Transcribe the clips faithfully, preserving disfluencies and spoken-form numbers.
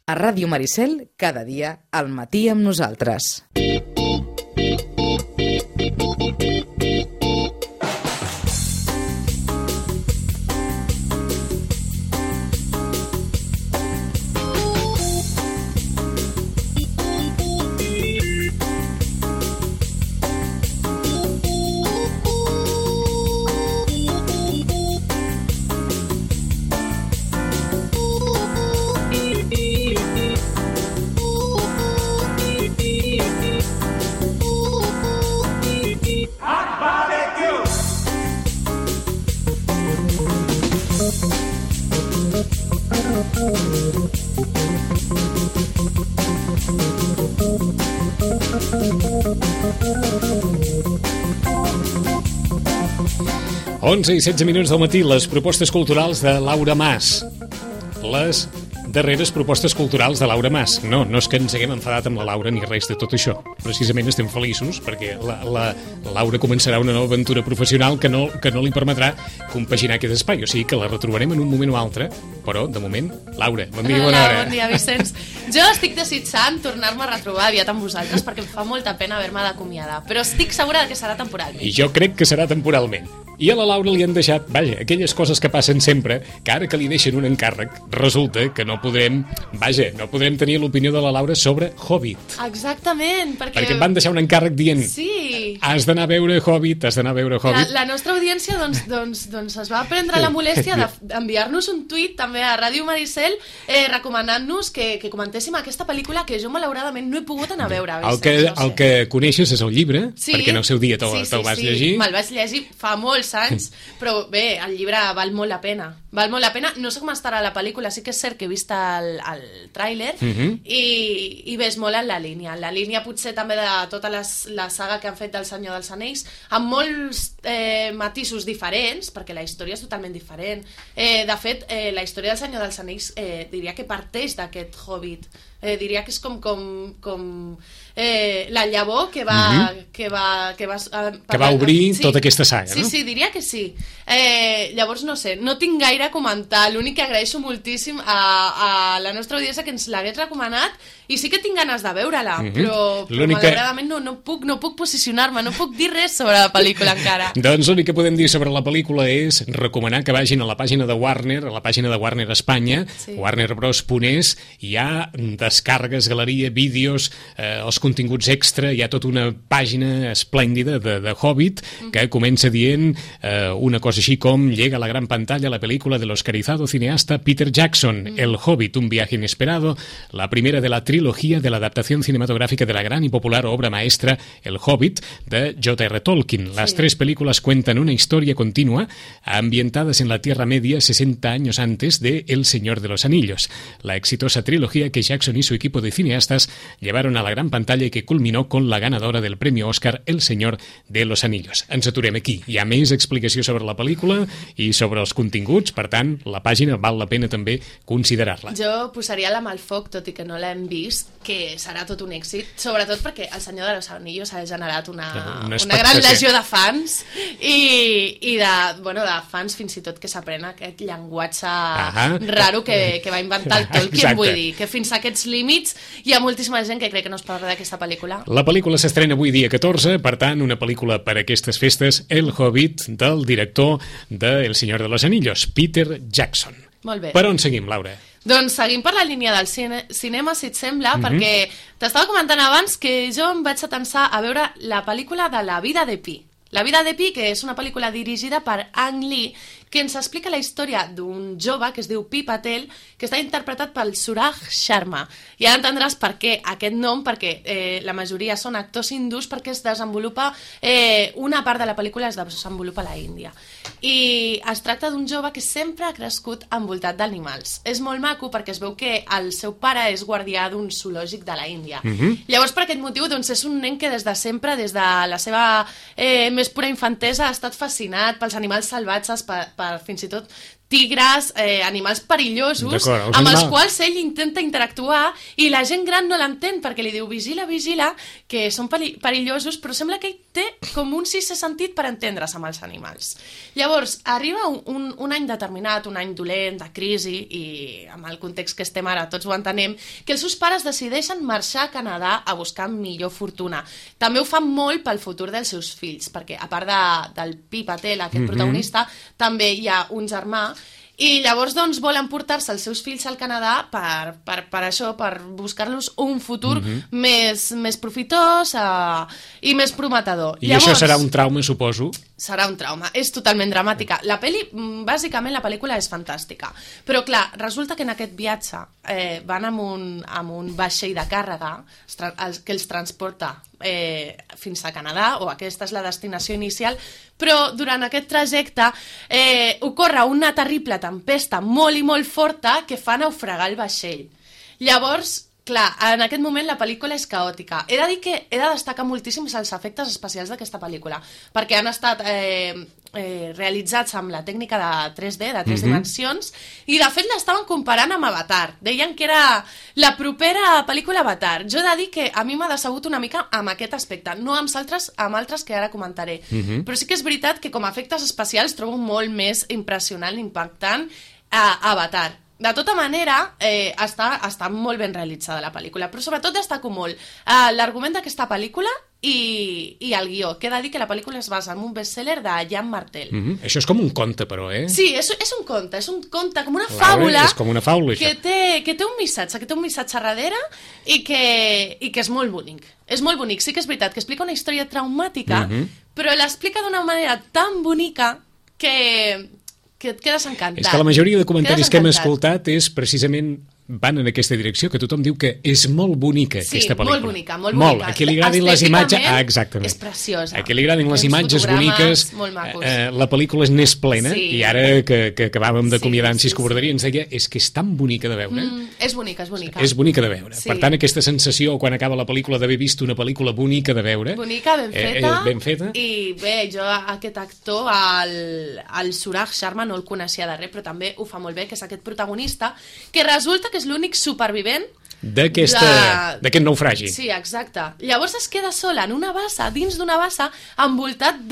A Ràdio Maricel, cada dia, al matí amb nosaltres. onze i setze minuts del matí, les propostes culturals de Laura Mas. Les darreres propostes culturals de Laura Mas. No, no és que ens haguem enfadat amb la Laura ni res de tot això. Precisament estem feliços perquè la, la, la Laura començarà una nova aventura professional que no, que no li permetrà compaginar aquest espai. O sigui que la retrobarem en un moment o altre, però, de moment, Laura, bon dia i bona hora. Bon dia, Vicenç. Jo estic desitjant tornar-me a retrobar aviat amb vosaltres perquè em fa molta pena haver-me d'acomiadar, però estic segura que serà temporalment. I jo crec que serà temporalment. I a la Laura li han deixat, vaja, aquelles coses que passen sempre, que ara que li deixen un encàrrec, resulta que no podrem, vaja, no podrem tenir l'opinió de la Laura sobre Hobbit. Exactament, perquè... Perquè em van deixar un encàrrec dient, sí, has d'anar a veure Hobbit, has d'anar a veure Hobbit. La, la nostra audiència doncs, doncs, doncs es va prendre la molèstia d'enviar-nos un tuit també a Ràdio Maricel eh, recomanant-nos que, que comentéssim aquesta pel·lícula que jo malauradament no he pogut anar a veure. El que, no sé. el que coneixes és el llibre, sí, perquè en el seu dia te'l sí, sí, te vas sí. llegir. Me'l vaig llegir fa molts anys, però bé, el llibre val molt la pena. Val molt la pena. No sé com estarà la pel·lícula, sí que és cert que he vist el, el tràiler uh -huh. i, i ves molt en la línia. En la línia potser també de tota les, la saga que han fet del Senyor dels Anells, amb molts eh, matisos diferents, perquè la història és totalment diferent. Eh, de fet, eh, la història del Senyor dels Anells eh, diria que parteix d'aquest Hobbit. Eh, diria que és com, com, com eh, la llavor que va, uh -huh. que va, que va, eh, que va obrir sí, tota aquesta saga, sí, no? Sí, sí, diria que sí. Eh, llavors, no sé, no tinc gaire a comentar. L'únic que agraeixo moltíssim a, a la nostra audiència que ens l'hagués recomanat, i sí que tinc ganes de veure-la, uh -huh. però, però malauradament no, no, puc, no puc posicionar-me, no puc dir res sobre la pel·lícula encara. Doncs l'únic que podem dir sobre la pel·lícula és recomanar que vagin a la pàgina de Warner, a la pàgina de Warner Espanya, sí. warner bros punt es, hi ha descàrregues, galeria, vídeos, eh, els continguts extra, hi ha tota una pàgina esplèndida de, de Hobbit que comença dient eh, una cosa així com llega a la gran pantalla la pel·lícula del oscarizado cineasta Peter Jackson, mm. El Hobbit, un viaje inesperado, la primera de la trilogía de la adaptación cinematográfica de la gran y popular obra maestra El Hobbit de J R Tolkien. Las sí. tres películas cuentan una historia continua ambientadas en la Tierra Media sesenta años antes de El Señor de los Anillos, la exitosa trilogía que Jackson y su equipo de cineastas llevaron a la gran pantalla y que culminó con la ganadora del premio Oscar El Señor de los Anillos. Ens aturem aquí. Hi ha més explicació sobre la pel·lícula i sobre els continguts, per tant, la pàgina val la pena també considerar-la. Jo posaria la mà al foc, tot i que no l'hem vist, que serà tot un èxit, sobretot perquè El Senyor de los Anillos ha generat una, una, una gran legió de fans i, i de, bueno, de fans fins i tot que s'aprenen aquest llenguatge Ahà. raro que, que va inventar el Tolkien. Exacte. Vull dir, que fins a aquests límits hi ha moltíssima gent que crec que no es parla d'aquesta pel·lícula. La pel·lícula s'estrena avui dia catorze, per tant, una pel·lícula per a aquestes festes, El Hobbit, del director de El Señor de los Anillos, Peter Jackson. Molt bé. Per on seguim, Laura? Doncs seguim per la línia del cine, cinema, si et sembla, uh -huh. perquè t'estava comentant abans que jo em vaig atensar a veure la pel·lícula de La vida de Pi. La vida de Pi, que és una pel·lícula dirigida per Ang Lee, que ens explica la història d'un jove que es diu Pi Patel, que està interpretat pel Suraj Sharma. I ara entendràs per què aquest nom, perquè eh, la majoria són actors hindús, perquè es desenvolupa, eh, una part de la pel·lícula es desenvolupa a la Índia. I es tracta d'un jove que sempre ha crescut envoltat d'animals. És molt maco perquè es veu que el seu pare és guardià d'un zoològic de la Índia. Uh-huh. Llavors, per aquest motiu, doncs, és un nen que des de sempre, des de la seva eh, més pura infantesa, ha estat fascinat pels animals salvatges, per, per fins i tot tigres, eh, animals perillosos, els amb animals... els quals ell intenta interactuar i la gent gran no l'entén perquè li diu vigila, vigila, que són perillosos, però sembla que ell té com un sisè sentit per entendre's amb els animals. Llavors, arriba un, un, un any determinat, un any dolent, de crisi, i amb el context que estem ara tots ho entenem, que els seus pares decideixen marxar a Canadà a buscar millor fortuna. També ho fan molt pel futur dels seus fills, perquè a part de, del Pi Patel, aquest mm-hmm. protagonista, també hi ha un germà, i llavors doncs volen portar-se els seus fills al Canadà per, per, per això, per buscar-los un futur mm-hmm. més, més profitós uh, i més prometedor. I llavors, això serà un trauma, suposo? Serà un trauma, és totalment dramàtica. La pel·li, bàsicament la pel·lícula és fantàstica, però clar, resulta que en aquest viatge eh, van amb un, amb un vaixell de càrrega que els transporta eh, fins a Canadà, o aquesta és la destinació inicial, però durant aquest trajecte eh, ocorre una terrible tempesta molt i molt forta que fa naufragar el vaixell. Llavors, clar, en aquest moment la pel·lícula és caòtica. He de dir que he de destacar moltíssim els efectes especials d'aquesta pel·lícula, perquè han estat eh, eh, realitzats amb la tècnica de tres D, de tres mm-hmm. dimensions, i de fet l'estaven comparant amb Avatar. Deien que era la propera pel·lícula Avatar. Jo he de dir que a mi m'ha decebut una mica amb aquest aspecte, no amb altres, amb altres que ara comentaré. Mm-hmm. Però sí que és veritat que com a efectes especials trobo molt més impressionant, impactant a Avatar. De tota manera, eh, està, està molt ben realitzada la pel·lícula, però sobretot destaco molt eh, l'argument d'aquesta pel·lícula i, i el guió. Que he de dir que la pel·lícula es basa en un bestseller de Jean Martel. Mm-hmm. Això és com un conte, però, eh? Sí, és, és un conte, és un conte, com una fàbula, és com una fàbula, que té, que té un missatge, que té un missatge darrere i que, i que és molt bonic. És molt bonic, sí que és veritat, que explica una història traumàtica, mm-hmm. però l'explica d'una manera tan bonica que... que et quedes encantat. És que la majoria de comentaris que hem escoltat és precisament van en aquesta direcció, que tothom diu que és molt bonica sí, aquesta pel·lícula. Sí, molt bonica, molt bonica. Molt. A qui li agradin les imatges... Ah, exactament. És preciosa. A qui li agradin les imatges boniques, eh, la pel·lícula és n'és plena, sí. I ara que, que acabàvem d'acomiadar en sí, Cisco Verdarí ens deia és que és tan bonica de veure. Mm, és bonica, és bonica. És bonica de veure. Sí. Per tant, aquesta sensació, quan acaba la pel·lícula, d'haver vist una pel·lícula bonica de veure... Bonica, ben feta. Eh, eh, ben feta. I bé, jo aquest actor, el, el Suraj Sharma, no el coneixia de res, però també ho fa molt bé, que és aquest protagonista, que resulta que és l'únic supervivent d'aquest de... naufragi. Sí, exacte. Llavors es queda sola en una bassa, dins d'una bassa, envoltat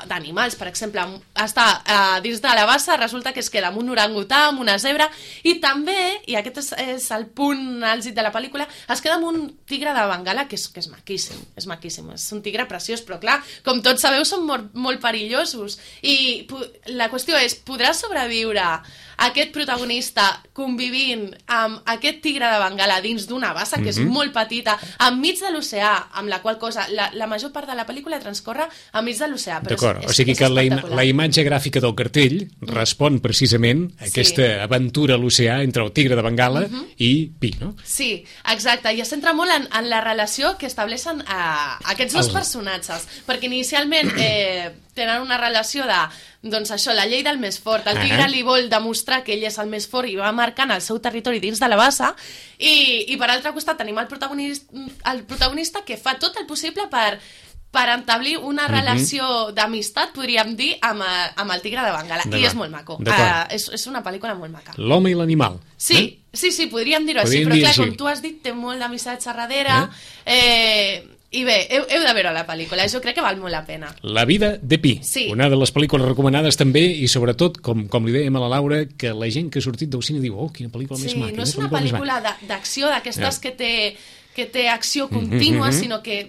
d'animals. Per exemple, està uh, dins de la bassa, resulta que es queda amb un orangutà, amb una zebra, i també, i aquest és, és el punt àlgid de la pel·lícula, es queda amb un tigre de Bengala, que és, que és maquíssim, és maquíssim, és un tigre preciós, però clar, com tots sabeu, són molt, molt perillosos. I la qüestió és, podrà sobreviure aquest protagonista convivint amb aquest tigre de Bengala dins d'una bassa, que mm-hmm. és molt petita, enmig de l'oceà, amb la qual cosa la, la major part de la pel·lícula transcorre enmig de l'oceà. D'acord, o sigui que la, im la imatge gràfica del cartell mm. respon precisament a aquesta sí. aventura a l'oceà entre el tigre de Bengala mm-hmm. i Pi, no? Sí, exacte, i es centra molt en, en la relació que estableixen eh, aquests dos El... personatges, perquè inicialment eh, tenen una relació de, doncs això, la llei del més fort. El tigre uh-huh. li vol demostrar que ell és el més fort i va marcant el seu territori dins de la bassa, i, i per altre costat tenim el protagonista, el protagonista que fa tot el possible per, per establir una uh-huh. relació d'amistat, podríem dir, amb, amb el tigre de Bengala. I és molt maco. Uh, és, és una pel·lícula molt maca. L'home i l'animal. Sí, eh? sí, sí, podríem dir-ho així, però clar, com tu has dit, té molt de missatge darrere... Eh? eh I bé, heu, heu de veure la pel·lícula, jo crec que val molt la pena. La vida de Pi, sí. Una de les pel·lícules recomanades també, i sobretot, com, com li dèiem a la Laura, que la gent que ha sortit del cine diu, oh, quina pel·lícula sí, més maca. Sí, no és una pel·lícula d'acció, d'aquestes yeah. que, té, que té acció contínua, mm-hmm. sinó que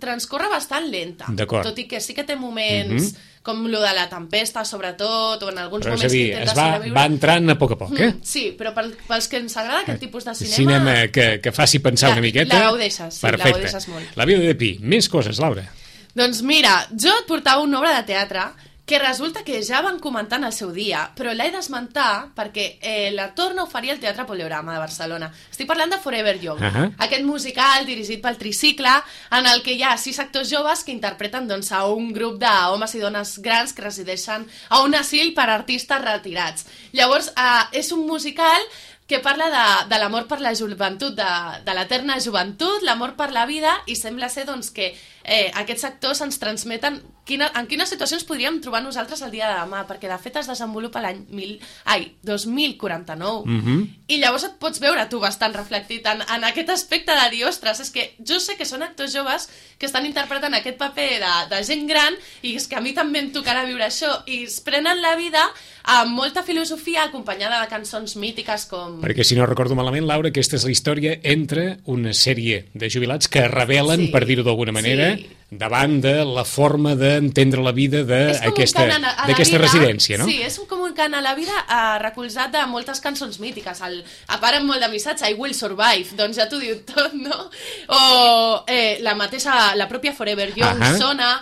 transcorre bastant lenta. Tot i que sí que té moments... Mm-hmm. com lo de la tempesta, sobretot, o en alguns però moments dir, que intenta va, sobreviure. Va entrant a poc a poc, eh? Mm, sí, però pel, pels que ens agrada aquest tipus de cinema... Cinema que, que faci pensar la, una miqueta... La gaudeixes, sí, perfecte. La gaudeixes molt. La vida de Pi. Més coses, Laura. Doncs mira, jo et portava una obra de teatre que resulta que ja van comentar en el seu dia, però l'he d'esmentar perquè eh, la torna a oferir al Teatre Poliorama de Barcelona. Estic parlant de Forever Young, uh -huh. aquest musical dirigit pel Tricicle, en el que hi ha sis actors joves que interpreten doncs, a un grup d'homes i dones grans que resideixen a un asil per artistes retirats. Llavors, eh, és un musical que parla de, de l'amor per la joventut, de, de l'eterna joventut, l'amor per la vida, i sembla ser doncs, que eh, aquests actors ens transmeten quina, en quines situacions podríem trobar nosaltres el dia de demà, perquè de fet es desenvolupa l'any mil... ai, dos mil quaranta-nou, Mm-hmm. i llavors et pots veure tu bastant reflectit en, en aquest aspecte de dir, ostres, és que jo sé que són actors joves que estan interpretant aquest paper de, de gent gran, i és que a mi també em tocarà viure això, i es prenen la vida amb molta filosofia acompanyada de cançons mítiques com... Perquè, si no recordo malament, Laura, aquesta és la història entre una sèrie de jubilats que es rebel·len, Sí. per dir-ho d'alguna manera, Sí. davant de la forma d'entendre la vida És com un d'aquesta cant a- a la d'aquesta vida, residència, no? Sí, és un, com un cant a la vida eh, recolzat de moltes cançons mítiques. El, a part amb molt de missatge, I Will Survive, doncs ja t'ho diu tot, no? O eh, la mateixa, la pròpia Forever Young Ahà. sona,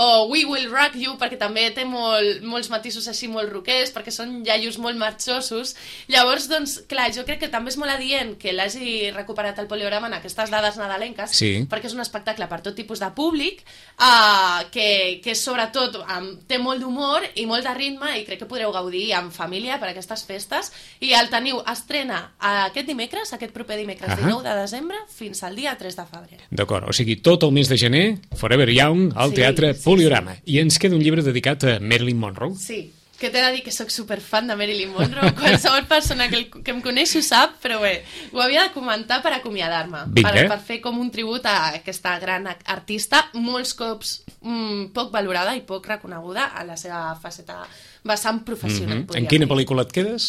o We Will Rock You, perquè també té molt, molts matisos així molt roquers, perquè són iaios molt marxosos. Llavors, doncs, clar, jo crec que també és molt adient que l'hagi recuperat el Poliorama en aquestes dades nadalenques, Sí. perquè és un espectacle per tot tipus de públic, uh, que, que sobretot um, té molt d'humor i molt de ritme, i crec que podreu gaudir en família per aquestes festes, i el teniu, estrena aquest dimecres, aquest proper dimecres, Ahà. dinou de desembre, fins al dia tres de febrer. D'acord, o sigui, tot el mes de gener, Forever Young, al Sí, Teatre sí, Poliorama. I ens queda un llibre dedicat a Marilyn Monroe. Sí, que t'he de dir que sóc superfan de Marilyn Monroe. Qualsevol persona que, el, que em coneix ho sap, però bé, ho havia de comentar per acomiadar-me, Vinga. per, per fer com un tribut a aquesta gran artista, molts cops mm, poc valorada i poc reconeguda a la seva faceta vessant professional. Mm-hmm. En quina pel·lícula et quedes?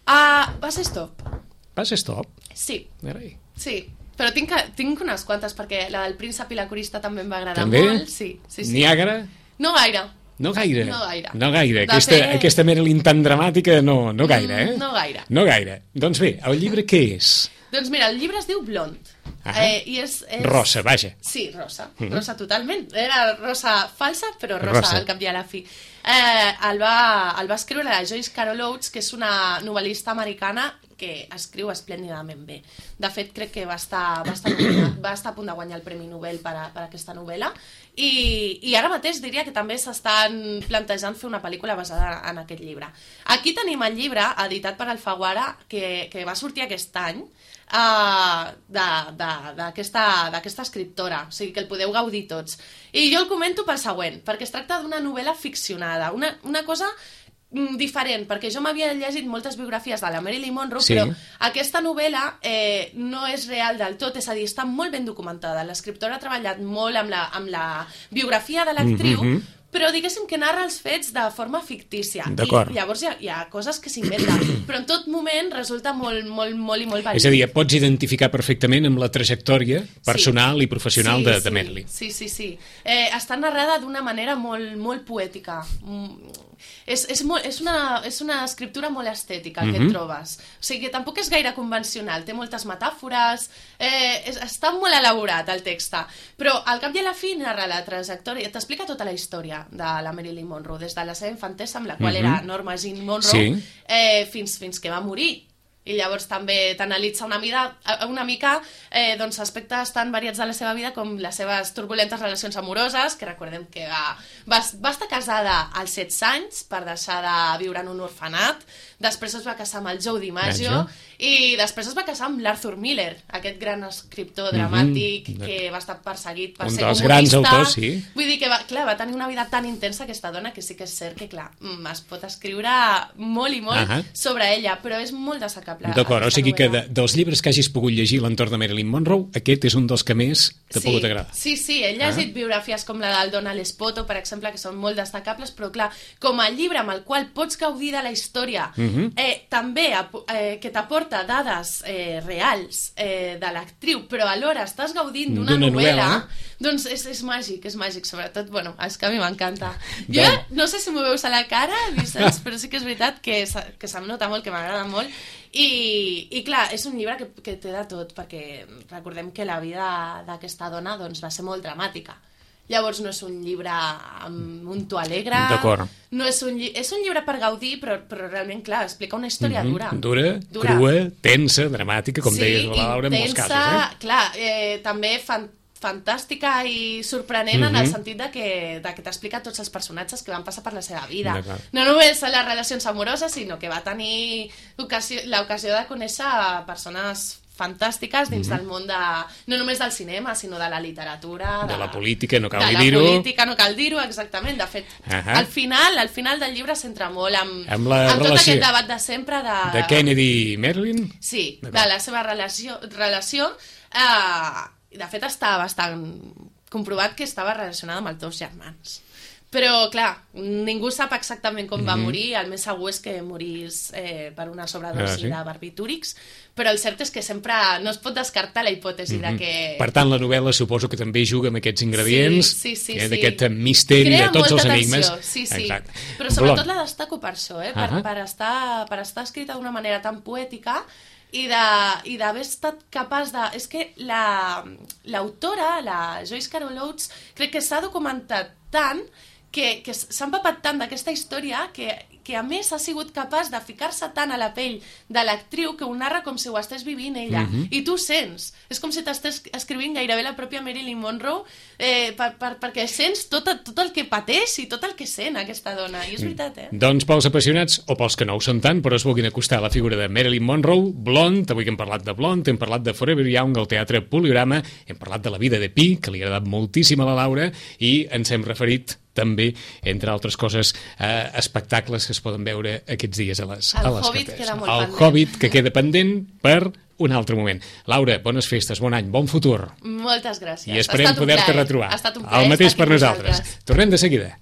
Uh, va ser Stop. Vas a Stop? Sí, Carai. sí. Però tinc, que- tinc unes quantes, perquè la del príncep i la corista també em va agradar També? molt. Sí, sí, sí. Niàgara? No gaire. No gaire. No gaire. No gaire. De Aquesta, fet- aquesta Marilyn tan dramàtica, no, no gaire, eh? Mm, no gaire. No gaire. Doncs bé, el llibre què és? Doncs mira, el llibre es diu Blond. Ahà. Eh, i és, és... Rosa, vaja. Sí, rosa. Mhm. Rosa totalment. Era rosa falsa, però rosa, Rosa. al cap i a la fi. Eh, el, va, el va escriure la Joyce Carol Oates, que és una novel·lista americana que escriu esplèndidament bé. De fet, crec que va estar, va estar, nominat, va estar a punt de guanyar el Premi Nobel per, a, per aquesta novel·la, i, i ara mateix diria que també s'estan plantejant fer una pel·lícula basada en aquest llibre. Aquí tenim el llibre, editat per Alfaguara, que, que va sortir aquest any, Uh, d'aquesta escriptora, o sigui que el podeu gaudir tots. I jo el comento pel següent, perquè es tracta d'una novel·la ficcionada, una, una cosa mm, diferent, perquè jo m'havia llegit moltes biografies de la Marilyn Monroe, Sí. però aquesta novel·la eh, no és real del tot, és a dir, està molt ben documentada. L'escriptora ha treballat molt amb la, amb la biografia de l'actriu, Mhm. però diguéssim que narra els fets de forma fictícia. D'acord. I llavors hi ha, hi ha coses que s'inventen, però en tot moment resulta molt, molt, molt i molt És a dir, et pots identificar perfectament amb la trajectòria personal Sí. i professional Sí, de, sí, de Marilyn. Sí, sí, sí. Eh, està narrada d'una manera molt, molt poètica. Mm, és, és, molt, és, una, és una escriptura molt estètica, el que Mhm. et trobes. O sigui que tampoc és gaire convencional, té moltes metàfores, eh, és, està molt elaborat el text, però al cap i a la fi narra la trajectòria, t'explica tota la història de la Marilyn Monroe, des de la seva infantesa, amb la qual Mhm. era Norma Jean Monroe, Sí. eh, fins, fins que va morir. I llavors també t'analitza una, mida, una mica eh, doncs, aspectes tan variats de la seva vida com les seves turbulentes relacions amoroses, que recordem que va, va, va estar casada als setze anys per deixar de viure en un orfenat, després es va casar amb el Joe DiMaggio, Maggio. i després es va casar amb l'Arthur Miller, aquest gran escriptor Mhm. dramàtic que va estar perseguit per Un ser dels comunista. grans autors, sí. Vull dir que va, clar, va tenir una vida tan intensa aquesta dona que sí que és cert que, clar, mm, es pot escriure molt i molt Ahà. sobre ella, però és molt destacable. D'acord, o aquesta sigui que de, novel·la. dels llibres que hagis pogut llegir a l'entorn de Marilyn Monroe, aquest és un dels que més t'ha Sí, pogut agradar. sí, sí, he llegit biografies com la del Donald Espoto, per exemple, que són molt destacables, però clar, com a llibre amb el qual pots gaudir de la història, Mhm. eh, també ap- eh, que t'aporta dades eh, reals eh, de l'actriu, però alhora estàs gaudint d'una D'una novel·la, novel·la. doncs és, és màgic, és màgic, sobretot, bueno, és que a mi m'encanta. Jo Doncs- no sé si m'ho veus a la cara, Vicenç, però sí que és veritat que, se- que se'm nota molt, que m'agrada molt, i, i clar, és un llibre que, que té de tot, perquè recordem que la vida d'aquesta dona doncs, va ser molt dramàtica. Llavors no és un llibre amb un to alegre, D'acord. no és un, lli és un llibre per gaudir, però, però realment, clar, explica una història Mhm. dura. Dura, Dura. crua, tensa, dramàtica, com sí, deies, la Laura, en molts intensa, casos. Eh? clar, eh, també fan, fantàstica i sorprenent en el Mhm. sentit de que, de que t'explica tots els personatges que van passar per la seva vida. D'acord. No només les relacions amoroses, sinó que va tenir ocasió- l'ocasió de conèixer persones fantàstiques dins mm-hmm. del món de... no només del cinema, sinó de la literatura... De, de la política, no cal dir-ho. dir-ho. De la política, no cal dir-ho, exactament. De fet, uh-huh. al final al final del llibre s'entra molt amb, amb, la amb relació... tot aquest debat de sempre de... De Kennedy i Marilyn? Sí, de la seva relació... relació eh, de fet, està bastant comprovat que estava relacionada amb els dos germans. Però, clar, ningú sap exactament com mm-hmm. va morir, el més segur és que morís eh, per una sobredosi ah, sí? de barbitúrics, però el cert és que sempre no es pot descartar la hipòtesi mm-hmm. de que... Per tant, la novel·la suposo que també juga amb aquests ingredients, sí, sí, sí, eh, sí. d'aquest misteri Crea de tots els tensió. enigmes. Sí, sí. Exacte. Però sobretot Blond. La destaco per això, eh? per, uh-huh. per, estar, per estar escrita d'una manera tan poètica i de, i d'haver estat capaç de... És que la, l'autora, la Joyce Carol Oates, crec que s'ha documentat tant que, que s'ha empapat tant d'aquesta història que, que a més ha sigut capaç de ficar-se tant a la pell de l'actriu que ho narra com si ho estigués vivint ella. Mm-hmm. I tu sents. És com si t'estàs escrivint gairebé la pròpia Marilyn Monroe eh, per, per, perquè sents tot, tot el que pateix i tot el que sent aquesta dona. I és veritat, eh? Doncs pels apassionats, o pels que no ho són tant, però es vulguin acostar a la figura de Marilyn Monroe, Blond, avui que hem parlat de Blond, hem parlat de Forever Young al Teatre Poliorama, hem parlat de La vida de Pi, que li ha agradat moltíssim a la Laura, i ens hem referit també, entre altres coses, eh, espectacles que es poden veure aquests dies a les, el a les Hobbit carteres. queda molt El pendent. Hobbit, que queda pendent per un altre moment. Laura, bones festes, bon any, bon futur. Moltes gràcies. I esperem poder-te retrobar. Ha estat un plaer. El mateix per nosaltres. Vosaltres. Tornem de seguida.